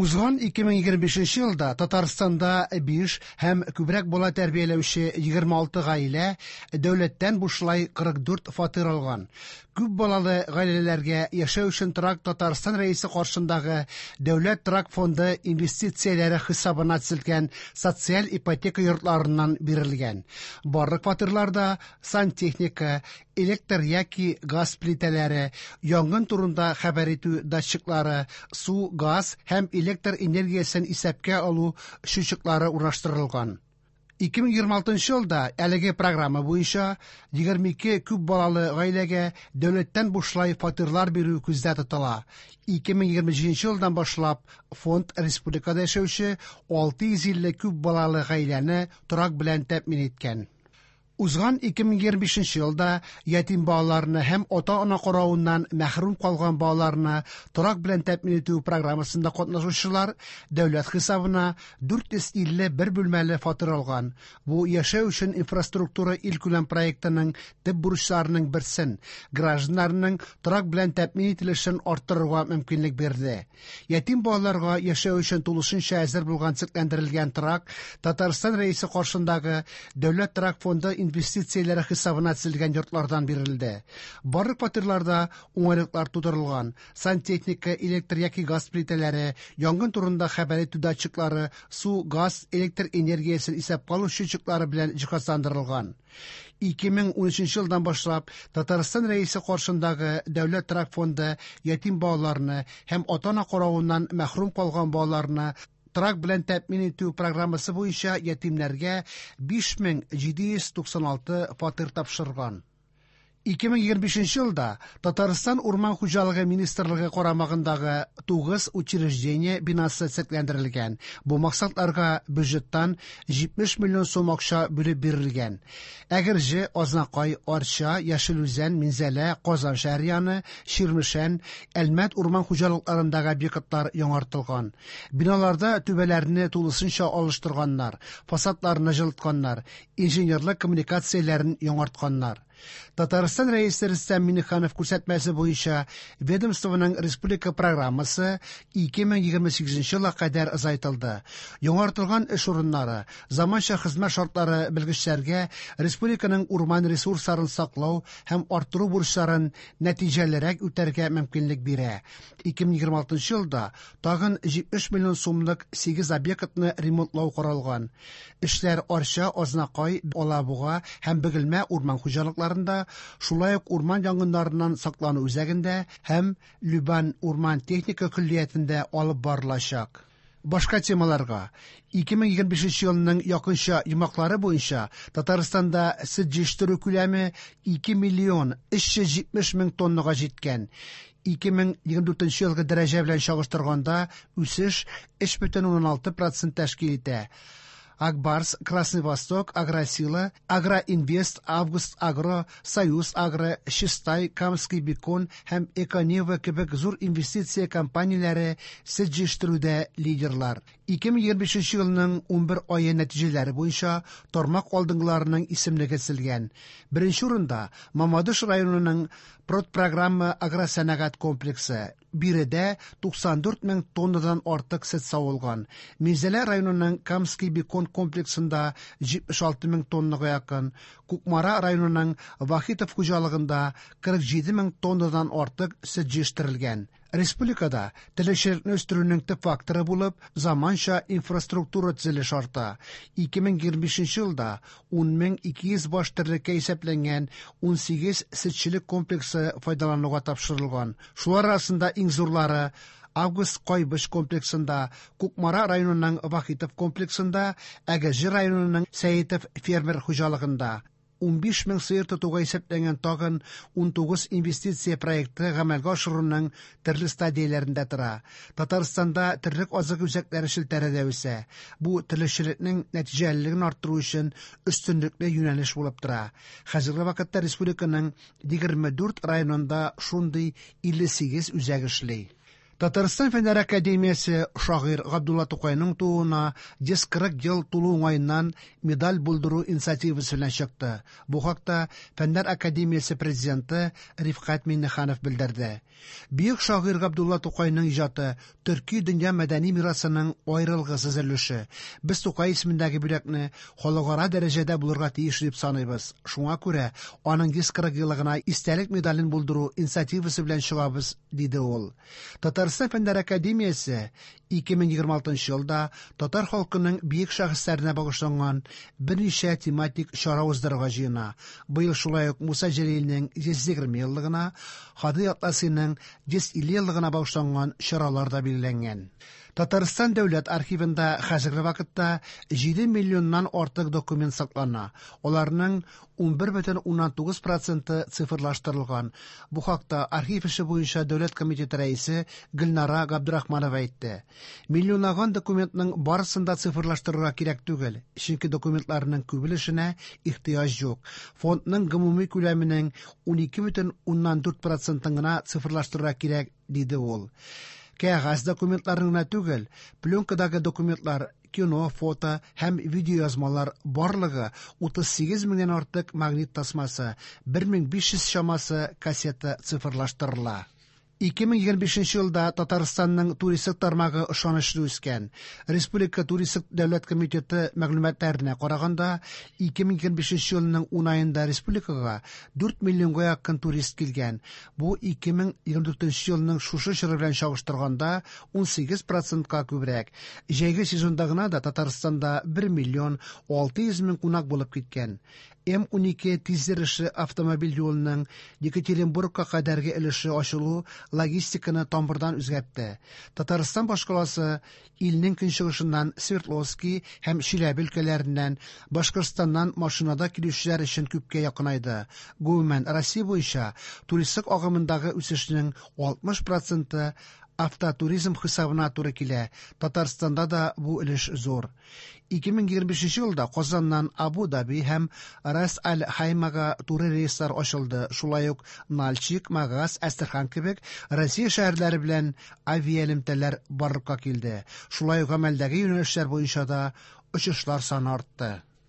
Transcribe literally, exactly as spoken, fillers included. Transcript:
Узган ике мең егерме бишенче елда Татарстанда биш һәм күбрәк бала тәрбияләүче егерме алты гаилә дәүләттән бушлай кырык дүрт фатир алган. Күп балалы гаиләләргә яшәү өчен торак Татарстан Рәисе каршындагы Дәүләт торак фонды инвестицияләре хисабына төзелгән социаль ипотека йортларыннан бирелгән. Барлык фатирларда сантехника, электр яки газ плитәләре, янгын турында хәбәр итү датчиклары, су, газ һәм электр энергиясен исәпкә алу счетчиклары урнаштырылган. Ике мең егерме алтынчы елда әлеге программа буенча егерме ике күп балалы гаиләгә дәүләттән бушлай фатирлар бирү күздә тотыла. Ике мең егерме җиденче елдан башлап фонд республикада яшәүче алты йөз илле күп балалы гаиләне торак белән тәэмин иткән. Узган ике мең егерме бишенче елда ятим балаларны һәм ата-ана каравыннан мәхрүм калган балаларны торак белән тәэмин итү программасында катнашучылар дәүләт хисабына дүрт йөз илле бер бүлмәле фатир алган. Бу яшәү өчен инфраструктура илкүләм проектының төп бурычларының берсен гражданнарның торак белән тәэмин ителешен арттырырга мөмкинлек бирде. Ятим балаларга яшәү өчен тулысынча әзер булган төзекләндерелгән торак Татарстан Рәисе каршындагы Дәүләт торак фонды инвестицияләре хисабына төзелгән йортлардан бирелде. Барлык фатирларда уңайлыклар тудырылган. Сантехника, электр яки газ плитәләре, янгын турында хәбәр итү датчиклары, су, газ, электр энергиясен исәпкә алу счетчиклары белән җиһазландырылган. Ике мең ун өченче елдан башлап Татарстан Рәисе каршындагы Дәүләт торак фонды ятим балаларны һәм ата-ана каравыннан мәхрүм калган балаларны торак белән тәэмин итү программасы буенча ятимнәргә биш мең җиде йөз туксан алты фатир тапшырган. Ике мең егерме бишенче елда Татарстан Урман хуҗалыгы министрлыгы карамагындагы тугыз учреждение бинасы төзекләндерелгән. Бу максатларга бюджеттан җитмеш миллион сум акча бүлеп бирелгән. Әгерҗе, Азнакай, Арча, Яшел Үзән, Минзәлә, Казан шәһәре яны, Чирмешән, Әлмәт урман хуҗалыкларындагы объектлар яңартылган. Биналарда түбәләрне тулысынча алыштырганнар, фасадларны җылытканнар, инженерлык коммуникацияләрен яңартканнар. Татарстан Рәисе Рөстәм Миңнеханов күрсәтмәсе буенча ведомствоның республика программасы ике мең егерме сигезенче елга кадәр озайтылды. Яңартылган эш урыннары, заманча хезмәт шартлары белгечләргә республиканың урман ресурсларын саклау һәм арттыру бурычларын нәтиҗәлерәк үтәргә мөмкинлек бирә. Ике мең егерме алтынчы елда тагын җитмеш миллион сумлык сигез объектны ремонтлау каралган. Эшләр Арча, Азнакай, Алабуга һәм Бөгелмә урман хуҗалыкларында, шулай ук урман янгыннарыннан саклану үзәгендә һәм Любан урман техника көллиятендә алып барылачак. Башка темаларга. Ике мең егерме бишенче елның якынча йомгаклары буенча Татарстанда сөт җитештерү күләме ике миллион өч йөз җитмеш мең тоннага җиткән. Ике мең егерме дүртенче елгы дәрәҗә белән чагыштырганда үсеш өч бөтен уннан алты процент тәшкил итә. Акбарс, Красный Восток, Агросила, Агроинвест, Август Агро, Союз Агро, Чистай, Камский Бекон һәм Эконива кебек зур инвестиция компанияләре сөт җитештерүдә лидерлар. Ике мең егерме бишенче елның унбер ае нәтиҗәләре буенча тармак алдынгыларының исемлеге төзелгән. Беренче урында Мамадыш районының Продпрограмма агросәнәгать комплексы. Биредә туксан дүрт мең тоннадан артык сөт савылган. Минзәлә районының Камский Бекон комплексында җитмеш алты мең тоннага якын, Кукмара районының Вахитов хуҗалыгында кырык җиде мең тоннадан артык сөт җитештерелгән. Республикада терлекчелекне үстерүнең төп факторы булып заманча инфраструктура төзелеше арта. Ике мең егерме бишенче елда ун мең ике йөз баш терлеккә исәпләнгән ун сигез сөтчелек комплексы файдалануга тапшырылган. Шулар арасында иң зурлары Август Кайбыч комплексында, Кукмара районының Вахитов комплексында, Әгерҗе районының Сәетов фермер хуҗалыгында. Унбиш мең сыер тотуга исәпләнгән тагын унтугыз инвестиция проекты гамәлгә ашыруның төрле стадияләрендә тора. Татарстанда терлек азык үзәкләре челтәре дә үсә. Бу терлекчелекнең нәтиҗәлелеген арттыру өчен өстенлекле юнәлеш булып тора. Хәзерге вакытта республиканың егерме дүрт районында шундый илле сигез үзәк эшли. Татарстан Фәннәр академиясе шагыйрь Габдулла Тукайның тууына йөз кырык ел тулу уңаеннан медаль булдыру инициативасы белән чыкты. Бу хакта Фәннәр академиясе президенты Рифкать Миңнеханов белдерде. Бөек шагыйрь Габдулла Тукайның иҗаты төрки дөнья мәдәни мирасының аерылгысыз өлеше. Без Тукай исемендәге бүләкне халыкара дәрәҗәдә булырга тиеш дип саныйбыз. Шуңа күрә аның йөз кырык еллыгына истәлек медален булдыру инициативасы белән чыгабыз, диде ул. Татарстан Фәннәр академиясе ике мең егерме алтынчы елда татар халкының бөек шәхесләренә багышланган берничә тематик чара уздырырга җыена. Быел шулай ук Муса Җәлилнең йөз егерме еллыгына, Һади Атласиның йөз илле еллыгына багышланган чаралар да билгеләнгән. Татарстан дәүләт архивында хәзерге вакытта җиде миллионнан артык документ саклана. Аларның ун бер бөтен уннан тугыз проценты цифрлаштырылган. Бу хакта архив эше буенча дәүләт комитеты рәисе Гөлнара Габдрахманова әйтте. Миллионлаган документның барысын да цифрлаштырырга кирәк түгел, чөнки документларның күп өлешенә ихтыяҗ юк. Фондның гомуми күләменең ун ике бөтен уннан дүрт процентын гына цифрлаштырырга кирәк, диде ул. Кәгазь документларын гына түгел, пленкадагы документлар, кино, фото һәм видеоязмалар барлыгы утыз сигез меңнән артык магнит тасмасы, бер мең биш йөз чамасы кассета цифрлаштырыла. Ике мең егерме бишенче елда Татарстанның туристик тармагы ышанычлы үскән. Республика туристик дәүләт комитеты мәгълүматларына караганда, ике мең егерме бишенче елның ун аенда республикага дүрт миллионга якын турист килгән. Бу ике мең егерме дүртенче елның шушы чоры белән чагыштырганда ун сигез процентка күбрәк. Җәйге сезонда гына да Татарстанда бер миллион алты йөз мең кунак булып киткән. М ун ике тизйөрешле автомобиль юлының Екатеринбургка кадәрге өлеше ачылу логистиканы тамырдан үзгәртте. Татарстан башкаласы илнең көнчыгышыннан Свердловский һәм Чиләбе өлкәләреннән, Башкортстаннан машинада килүчеләр өчен күпкә якынайды. Гомумән, Россия буенча туристик агымындагы үсешнең алтмыш проценты автотуризм хисабына туры килә. Татарстанда да бу өлеш зур. Ике мең егерме бишенче елда Казаннан Абу-Даби һәм Рас-аль-Хаймага туры рейслар ачылды. Шулай ук Нальчик, Магас, Әстерхан кебек Россия шәһәрләре белән авиаэлемтәләр барлыкка килде. Шулай ук гамәлдәге юнәлешләр буенча да очышлар саны артты.